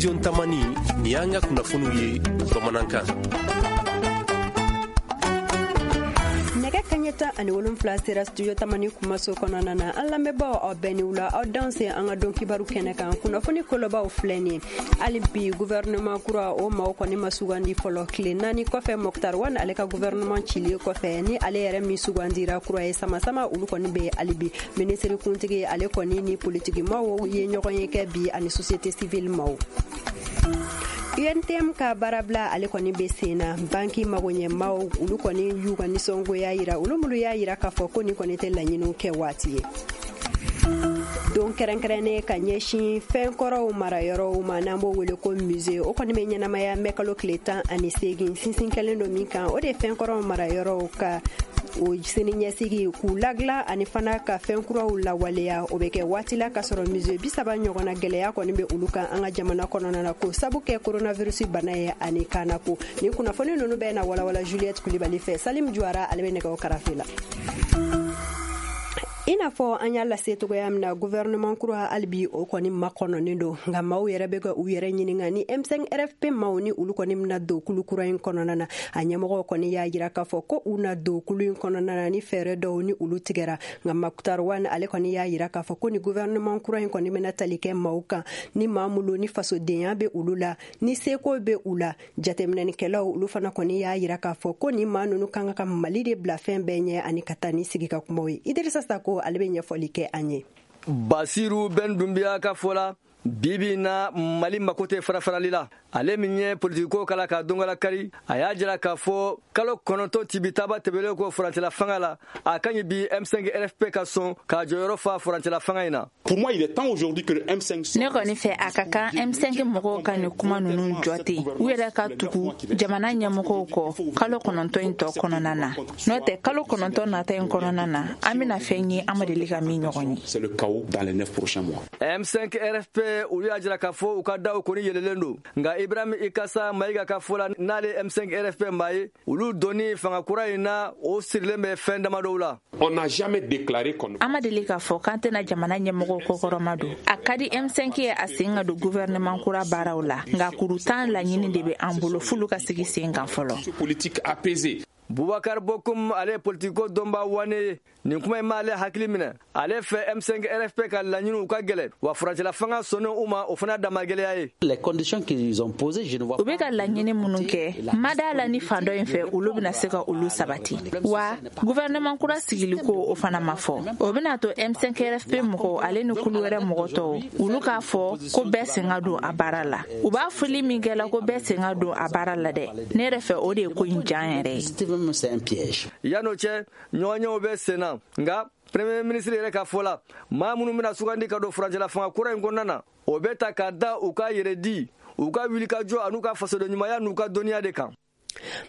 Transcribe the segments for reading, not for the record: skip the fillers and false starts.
Studio Tamani, nin y'an ka kunnafoniw ye bamanankan. Nɛgɛ kaɲɛ 17 sera Studio Tamani kumaso kɔnɔna na. An lamɛnbaaw, aw bɛɛ ni wula, aw danse an ka don kibaru kɛnɛ kan. Kunnafoni kolobaw filɛ nin ye. Hali bi, gouvernement kura o maaw kɔni ma sugandi fɔlɔ, tile 4 kɔfɛ Moctar Ouane ale ka gouvernement cilen kɔfɛ. Ni ale yɛrɛ min sugandira kura ye, sama-sama olu kɔni bɛ hali bi. Minisiri kuntigi ale kɔni ni politiki maaw ye ɲɔgɔn ye kɛ bi, ani société civile maaw. UNTM ka baarabila ale kɔni bɛ sen na. Banki magoɲɛmaw, olu kɔni y'u ka nisɔngoya yira, olu minnu y'a yira k'a fɔ ko nin kɔni tɛ laɲiniw kɛ waati ye. Don kɛrɛnkɛrɛnnen ka ɲɛsin fɛn kɔrɔw marayɔrɔw ma, n'an b'o wele ko musée, o kɔni bɛ ɲɛnamaya mɛkalo tile 18. Sinsin kɛlen don min kan, o de ye fɛn kɔrɔw marayɔrɔw ka o sini ɲɛsigi, k'u ladilan ani fana ka fɛn kuraw lawaleya. O bɛ kɛ waati la k'a sɔrɔ musée 30 ɲɔgɔnna, gɛlɛya kɔni bɛ olu kan an ka jamana kɔnɔna na, k'o sabu kɛ coronavirus bana ye ani kanako. Nin kunnafoni ninnu bɛɛ na walawala Juliette Kulibali fɛ. Salim Juwara ale bɛ nɛgɛw karafe la. I n'a fɔ an y'a lase cogoya min na, gouvernement kura halibi o kɔni makɔnɔnen don, nka maaw yɛrɛ bɛ ka u yɛrɛ ɲininka ni M5 RFP maaw ni olu kɔni bɛna don kulu kura in kɔnɔna na. A ɲɛmɔgɔw kɔni y'a jira k'a fɔ ko u na don kulu in kɔnɔna na ni fɛɛrɛ dɔw ni olu tigɛra. Nka Moctar Ouane ale kɔni y'a jira k'a fɔ ko ni gouvernement kura in kɔni bɛna tali kɛ maaw kan, ni maa minnu ni fasodenya bɛ olu la, ni seko bɛ u la. Jateminɛnikɛlaw, olu fana kɔni y'a jira k'a fɔ ko ni maa ninnu kan ka Mali de bila fɛn bɛɛ ɲɛ ani ka taa ni sigi ka kumaw ye. Idirisa Sako ale bɛ ɲɛfɔli kɛ an ye. Basiru Ben Dunbiya ka fɔ la, bibi na Mali mako tɛ farafarali la. Ale min ye politikiko kala ka dongala kari, a y'a jira k'a fɔ kalo 9 tibitaba tɛmɛlen kɔ furancɛla fanga la, a ka ɲi bi M5 RFP ka sɔn k'a jɔyɔrɔ fa furancɛla fanga in na. Pour moi, il est temps aujourd'hui que le M5 Ne kɔni fɛ, a ka kan M5 mɔgɔw ka nin kuma ninnu jɔ ten, u yɛrɛ ka tugu jamana ɲɛmɔgɔw kɔ kalo 9 in tɔ kɔnɔna na. N'o tɛ, kalo 9 nata in kɔnɔna na, an bɛna fɛn ye an ma deli ka min ɲɔgɔn ye. C'est le chaos dans les 9 prochains mois. M5 RFP, olu y'a jira k'a fɔ u ka daw kɔni yɛlɛlen don. Nka Ibrahim Ikasa Mayiga ka fɔ la, n'ale M5 RFP maa ye, olu donni fanga kura in na, o sirilen bɛ fɛn damadɔw la. On n'a jamais déclaré qu'on An ma deli k'a fɔ k'an tɛna jamana ɲɛmɔgɔw kɔkɔrɔma don. A ka di M5 ye a sen ka don gouvernement kura baaraw la, nka kuru 10 laɲini de bɛ an bolo f'olu ka sigi sen kan fɔlɔ. politique apaisée. Bubakar Bokum, ale ye politiko dɔnba wane ye, nin kuma in m'ale hakili minɛ. Ale fɛ, M5 RFP ka laɲiniw ka gɛlɛ, wa furancɛla fanga sɔnnen u ma, o fana dama gɛlɛya ye. Les conditions qu'ils ont posées, je ne vois U bɛ ka laɲini minnu kɛ, ma da la ni fan dɔ in fɛ olu bɛna se ka olu sabati. Wa gouvernement kura sigiliko, o fana ma fɔ. O bɛna to M5 RFP mɔgɔw ale ni kulu wɛrɛ mɔgɔ tɔw, olu k'a fɔ ko bɛɛ sen ka don a baara la. U b'a fɔli min kɛ la ko bɛɛ sen ka don a baara la dɛ, ne yɛrɛ fɛ, o de ye ko in jan yɛrɛ ye. C'est un piège. Yan'o cɛ, ɲɔgɔnyew bɛ sen na. Nka premier ministre yɛrɛ ka fɔ la, maa minnu bɛna sugandi ka don furancɛla fanga kura in kɔnɔna na, o bɛ ta ka da u ka yɛrɛ di, u ka wulikajɔ an'u ka fasoden ɲumanya n'u ka dɔnniya de kan.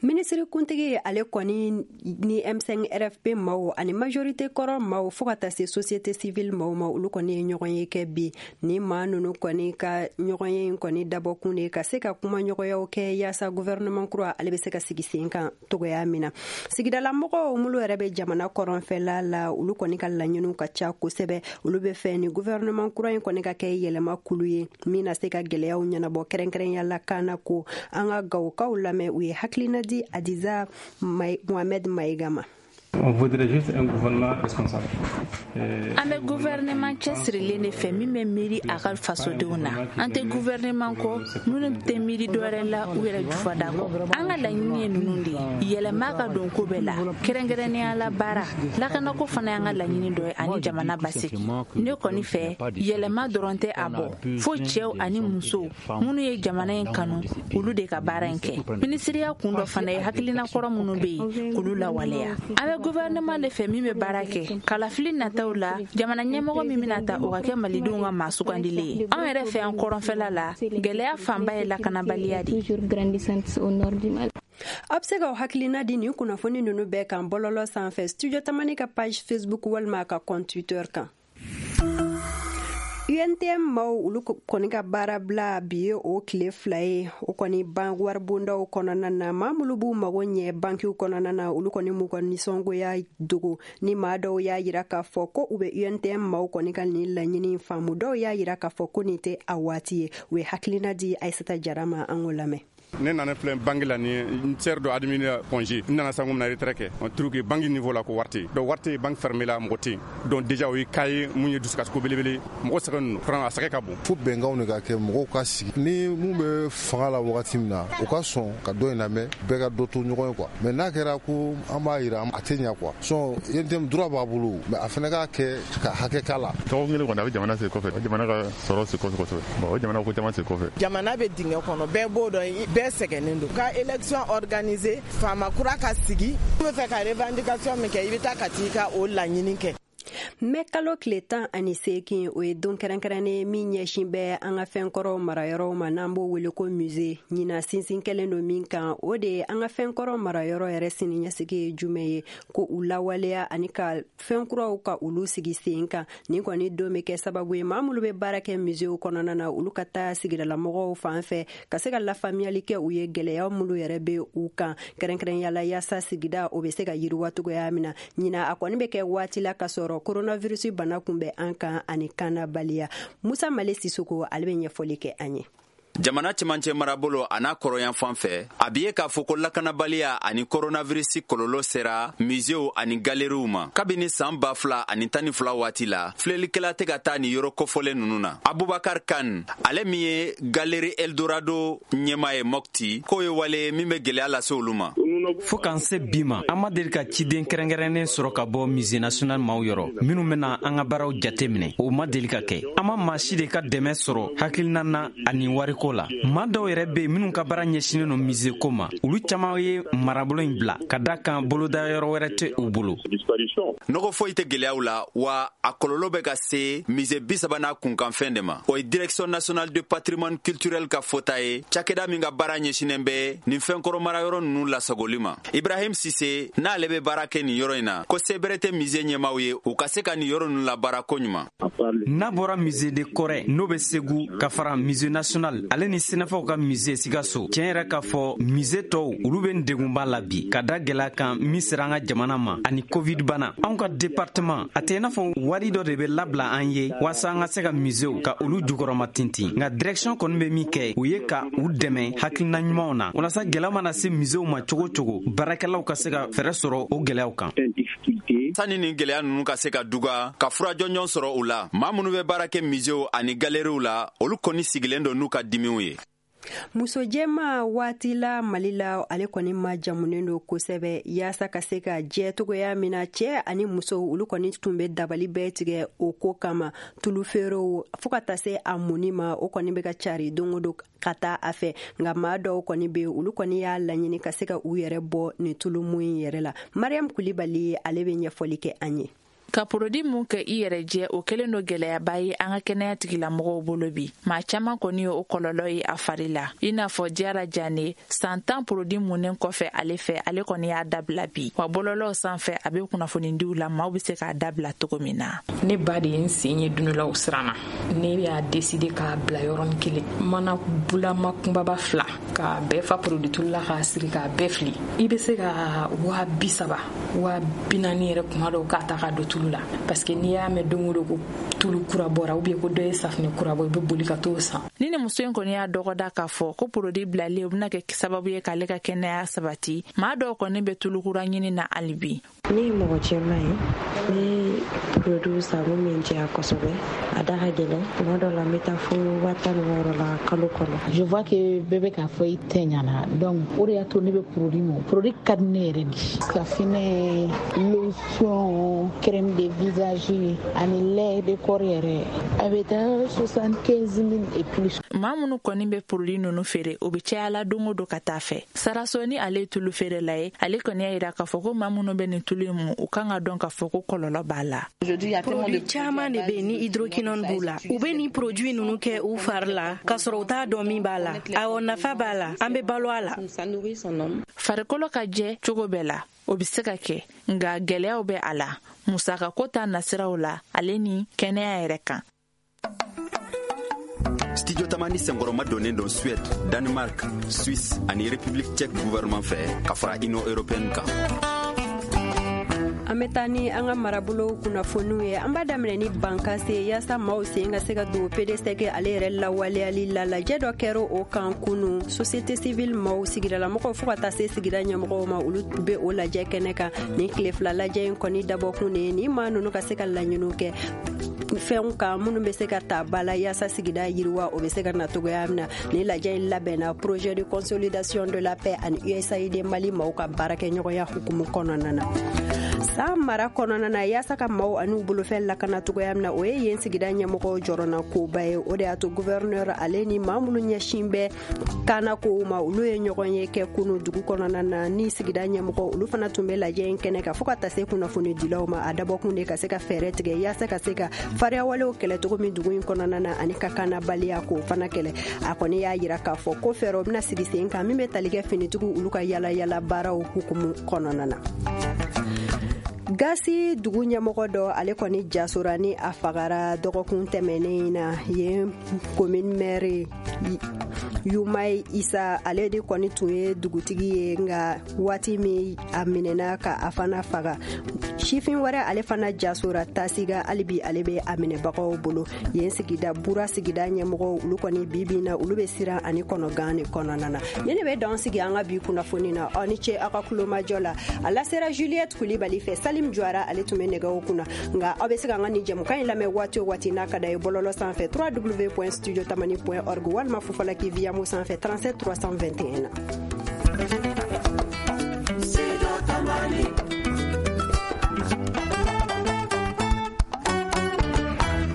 Minisiri kuntigi ale kɔni ni M5 RFP maaw ani majorité kɔrɔ maaw, fo ka taa se société civile maaw ma, olu kɔni ye ɲɔgɔn ye kɛ bi. Ni maa ninnu kɔni ka ɲɔgɔn ye in kɔni dabɔkun de ka se ka kumaɲɔgɔnyaw kɛ yaasa gouvernement kura ale bɛ se ka sigi sen kan togoya min na. Sigidalamɔgɔw minnu yɛrɛ bɛ jamana kɔrɔnfɛla la, olu kɔni ka laɲiniw ka ca kosɛbɛ. Olu bɛ fɛ ni gouvernement kura in kɔni ka kɛ yɛlɛma kulu ye min na se ka gɛlɛyaw ɲɛnabɔ, kɛrɛnkɛrɛnya la kana ko. An ka Gawokaw lamɛn, u ye hakilina di Adiza Mohamed Mayiga ma. On voudrait juste un gouvernement responsable. An bɛ gouvernement cɛsirilen de fɛ min bɛ miiri a ka fasodenw na. An tɛ gouvernement kɔ minnu tɛ miiri dɔwɛrɛ la u yɛrɛ jufada kɔ. An ka laɲini ye ninnu de ye: yɛlɛma ka don ko bɛɛ la, kɛrɛnkɛrɛnnenya la baara, lakanako fana y'an ka laɲini dɔ ye, ani jamana basigi. Ne kɔni fɛ, yɛlɛma dɔrɔn tɛ a bɔ, fo cɛw ani musow minnu ye jamana in kanu, olu de ka baara in kɛ. Minisiriya kun dɔ fana ye hakilina kɔrɔ minnu bɛ yen, k'olu lawaleya. An bɛ gouvernement de fɛ min bɛ baara kɛ. Kalafili nataw la, jamana ɲɛmɔgɔ min bɛna ta, o ka kɛ malidenw ka maa sugandilen ye. Anw yɛrɛ fɛ yan kɔrɔnfɛla la, gɛlɛya fanba ye lakanabaliya de. Aw bɛ se k'aw hakilina di nin kunnafoni ninnu bɛɛ kan bɔlɔlɔ sanfɛ, Studio Tamani ka page Facebook walima a ka compte Twitter kan. UNTM maaw olu kɔni ka baara bila bi ye o tile 2 ye. O kɔni ban waribondaw kɔnɔna na, maa minnu b'u mago ɲɛ bankiw kɔnɔna na, olu kɔni m'u ka nisɔngoya dogo. Ni maa dɔw y'a yira k'a fɔ ko u bɛ UNTM maaw kɔni ka nin laɲini faamu, dɔw y'a yira k'a fɔ ko nin tɛ a waati ye. U ye hakilina di Aïssata Jara ma, an k'o lamɛn. Ne nana filɛ banque la, ni n sɛri dɔ admis congé, n nana sango mina retrait kɛ, on trouve que banque niveau la ko wari tɛ yen. Donc wari tɛ yen, banque fermée la, mɔgɔ tɛ yen. Donc déjà o ye cas ye mun ye dusukasiko belebele, mɔgɔ sɛgɛn ninnu vraiment a sɛgɛn ka bon. Fo bɛnkanw de ka kɛ, mɔgɔw ka sigi ni mun bɛ fanga la wagati min na, u ka sɔn ka dɔ in lamɛn, bɛɛ ka dɔ to ɲɔgɔn ye quoi. Mais n'a kɛra ko an b'a yira, a tɛ ɲɛ quoi. Sinon UNTM droit b'a bolo, mais a fana k'a kɛ ka hakɛ k'a la. Dɔgɔkun kelen kɔni, a bɛ jamana segin kɔfɛ, jamana ka sɔrɔ segin kɔfɛ kosɛbɛ. Bon, o jamana ko caman segin kɔfɛ. Jamana bɛ dingɛ kɔnɔ, bɛɛ b'o dɔn, bɛɛ sɛgɛnnen don. Ka élection organisée, faama kura ka sigi, i bɛ fɛ ka revendication min kɛ, i bɛ taa ka t'i ka o laɲini kɛ. Mɛ kalo tile 18, o ye don kɛrɛnkɛrɛnnen min ɲɛsin bɛ an ka fɛnkɔrɔw marayɔrɔw ma, n'an b'o wele ko musée. Ɲina sinsin kɛlen don min kan, o de ye an ka fɛnkɔrɔ marayɔrɔ yɛrɛ siniɲɛsigi ye jumɛn ye, ko u lawaleya ani ka fɛn kuraw ka olu sigi sen kan. Nin kɔni don bɛ kɛ sababu ye, maa minnu bɛ baara kɛ muséew kɔnɔna na, olu ka taa sigidalamɔgɔw fan fɛ ka se ka lafaamuyali kɛ u ye, gɛlɛya minnu yɛrɛ bɛ u kan kɛrɛnkɛrɛnya la, yaasa sigida o bɛ se ka yiriwa cogoya min na. Ɲina a kɔni bɛ kɛ waati la ka sɔrɔ coronavirus bana kun bɛ an kan ani kannabaliya. Musa Male Sisoko, ale bɛ ɲɛfɔli kɛ an ye. Jamana cɛmancɛ marabolo a n'a kɔrɔyan fan fɛ, a bi ye k'a fɔ ko lakanabaliya ani koronavirisi kɔlɔlɔ sera musew ani galeriw ma. Kabini saan 2012 waati la, filɛlikɛla tɛ ka taa ni yɔrɔ kofɔlen nunu na. Abubakar Kan, ale min ye galeri Eldorado ɲɛma ye Mɔkti, k'o ye wale min bɛ gwɛlɛya lase olu ma. Fɔɔ k'an se bi ma, an ma deli ka ciden kɛrɛnkɛrɛnnen sɔrɔ ka bɔ Musée national maaw yɔrɔ minnu bena an ka baaraw jate minɛ. O ma deli ka kɛ. An ma maa si de ka dɛmɛ sɔrɔ hakilina na ani wariko la. Maa dɔw yɛrɛ be minnu ka baara ɲɛsinen no musée ko ma, olu caaman ye marabolo in bila ka da kan boloda yɔrɔ wɛrɛ tɛ u bolo. Nɔgɔ foyi tɛ gwɛlɛyaw la wa, a kɔlɔlɔ bɛ ka se musée 30 n'a kunkanfɛn de ma. O ye Direction nationale de patrimoine culturel ka fɔta ye, cakɛda min ka baara ɲɛsinen bɛ nin fɛnkɔrɔ marayɔrɔ nunu lasagoli ma. Ibrahim Sise, n'ale bɛ baara kɛ nin yɔrɔ in na, ko sebere tɛ musée ɲɛmaw ye u ka se ka nin yɔrɔ nunu labaara koɲuman. N'a bɔra musée de Kɔrɛ, n'o bɛ Segu, ka fara Musée national ale ni Sɛnɛfɔw ka musée Sikaso, tiɲɛ yɛrɛ k'a fɔ, musée tɔw olu bɛ degunba la bi ka da gwɛlɛya kan min sera an ka jamana ma ani Covid bana. Anw ka département, a tɛ i n'a fɔ wari dɔ de bɛ labila an ye waasa an ka se ka muséew ka olu jukɔrɔma tintin. Nka direction kɔni bɛ min kɛ, o ye ka u dɛmɛ hakilina ɲumanw na, walasa gwɛlɛya mana se muséew ma cogo cogo, baarakɛlaw ka se ka fɛɛrɛ sɔrɔ o gwɛlɛyaw kan. Sani nin gwɛlɛya nunu ka se ka duga ka fura jɔnjɔn sɔrɔ u la, maa minnu bɛ baara kɛ muséew ani galeriw la, olu kɔni sigilen don n'u ka dimiw ye. Muso jɛma waati la Mali la, ale kɔni ma jamunen don kosɛbɛ yaasa ka se ka jɛ togoya min na cɛɛ ani musow. Olu kɔni tun bɛ dabali bɛɛ tigɛ o ko kama. Tulu feerew fɔɔ ka taa se a munni ma, o kɔni bɛ ka cari don o don ka taa a fɛ. Nka maa dɔw kɔni bɛ, olu kɔni y'a laɲini ka se ka u yɛrɛ bɔ nin tulu mun in yɛrɛ la. Mariam Kulibali, ale bɛ ɲɛfɔli kɛ an ye. Ka produit mun kɛ i yɛrɛ jɛ, o kɛlen do gwɛlɛyaba ye an ka kɛnɛya tigilamɔgɔw bolo bi. Maa caaman kɔni ye o kɔlɔlɔ ye a fari la, i n'a fɔ Jara Jane. San 10 produit munnen kɔfɛ ale fɛ, ale kɔni y'a dabila bi. Wa bɔlɔlɔw sanfɛ, a bɛ kunnafonidiw la, maaw be se k'a dabila cogo min na. Ne ba de ye n sen ye don dɔ la, o siranna. Ne y'a décidé k'a bila yɔrɔnin kelen, mana bulama kunbaba fila k'a bɛɛ fa produit tulu la, k'a siri, k'a bɛɛ fili. I bɛ se ka 30 000, 40 000 yɛrɛ kuma dɔw k'a ta k'a don tulu la, parce que n'i y'a mɛn don o don ko tulu kura bɔra ou bien ko dɔ ye safunɛ kura bɔ, i bɛ boli ka t'o san. Ni muso in kɔni y'a dɔgɔda k'a fɔ ko produit bilalen, o bɛna kɛ sababu ye k'ale ka kɛnɛya sabati. Maa dɔw kɔni bɛ tulukura ɲini na hali bi. Ne ye mɔgɔ cɛman ye, ne produit san mun bɛ n diya kosɛbɛ. A da ka gɛlɛn, tuma dɔ la n bɛ taa fo 16 000 la kalo kɔnɔ. Je vois que bɛɛ bɛ k'a fɔ i tɛ ɲana, donc o de y'a to ne bɛ produit mun, produit ka di ne yɛrɛ de. Safinɛ, lotion, crème de visage ani lait de corps yɛrɛ, a bɛ taa 75 000 et plus. Maa minnu kɔni bɛ produit ninnu feere, o bɛ caya la don o don ka taa fɛ. Saraso ni ale ye tulu feerela ye, ale kɔni y'a yira k'a fɔ ko maa minnu bɛ nin tulu in mun, u kan ka dɔn k'a fɔ ko kɔlɔlɔ b'a la. Produit caman de bɛ ni hydroquinone b'u la. U bɛ nin produit ninnu kɛ u fari la k'a sɔrɔ u t'a dɔn min b'a la. Awɔ, nafa b'a la, an bɛ balo a la. Farikolo ka jɛ cogo bɛɛ la, o bɛ se ka kɛ, nka gɛlɛyaw bɛ a la musakako ta nasiraw la, ale ni kɛnɛya yɛrɛ kan. Studio Tamani senkɔrɔma donnen don Suède, Danemark, Suisse ani République tchèque gouvernement fɛ ka fara Union européenne kan. An bɛ taa ni an ka marabolo kunnafoniw ye. An b'a daminɛ ni Bankase, yaasa maaw sen ka se ka don PDSEC ale yɛrɛ lawaleyali la. Lajɛ dɔ kɛra o kan kunu. Société civile maaw, sigidalamɔgɔw, fo ka taa se sigida ɲɛmɔgɔw ma, olu bɛ o lajɛ kɛnɛ kan. Nin tile 2 lajɛ in kɔni dabɔkun de ye ni maa ninnu ka se ka laɲiniw kɛ fɛnw kan minnu bɛ se ka ta ba la yaasa sigida yiriwa o bɛ se ka na cogoya min na. Ni lajɛ in labɛnna Projet de consolidation de la paix ani USAID Mali maaw ka baarakɛɲɔgɔnya hukumu kɔnɔna na. San mara kɔnɔna na, yaasa ka maaw ani u bolofɛn lakana cogoya min na, o ye yen sigida ɲɛmɔgɔw jɔrɔna koba ye. O de y'a to gouverneur ale ni maa minnu ɲɛsin bɛ kana kow ma, olu ye ɲɔgɔn ye kɛ kunu dugu kɔnɔna na ni sigida ɲɛmɔgɔ. Olu fana tun bɛ lajɛ in kɛnɛ kan, fo ka taa se kunnafoni dilaw ma. A dabɔkun de ka se ka fɛɛrɛ tigɛ yaasa ka se ka fariyawalew kɛlɛ cogo min dugu in kɔnɔna na, ani ka kanabaliya k'o fana kɛlɛ. A kɔni y'a yira k'a fɔ ko fɛɛrɛw bɛna sigi sen kan min bɛ tali kɛ finitigiw olu ka yala yala baaraw hukumu kɔnɔna na. Gasi dugu ɲɛmɔgɔ dɔ, ale kɔni jasora ni a fagara dɔgɔkun tɛmɛnen na yen. Commune maire Yumai Isa, ale de kɔni tun ye dugutigi ye, nka waati min a minɛna ka a fana faga, sifin wɛrɛ ale fana jasora Tasiga. Halibi ale bɛ a minɛbagaw bolo yen. Sigida Bura sigida ɲɛmɔgɔw, olu kɔni bi na, olu bɛ siran ani kɔnɔgan de kɔnɔna na. Ni ne bɛ dan sigi an ka bi kunnafoni na. Aw ni ce aw ka kulomajɔ la. A lasera Juliette Kulibali fɛ, Salim Juara ale tun bɛ nɛgɛw kunna. Nka aw bɛ se ka an ka nin jɛmukan in lamɛn waati o waati n'a ka da ye, bɔlɔlɔ sanfɛ www.studiotamani.org walima Fufalaki Viamo sanfɛ 37 321 na. Studio Tamani.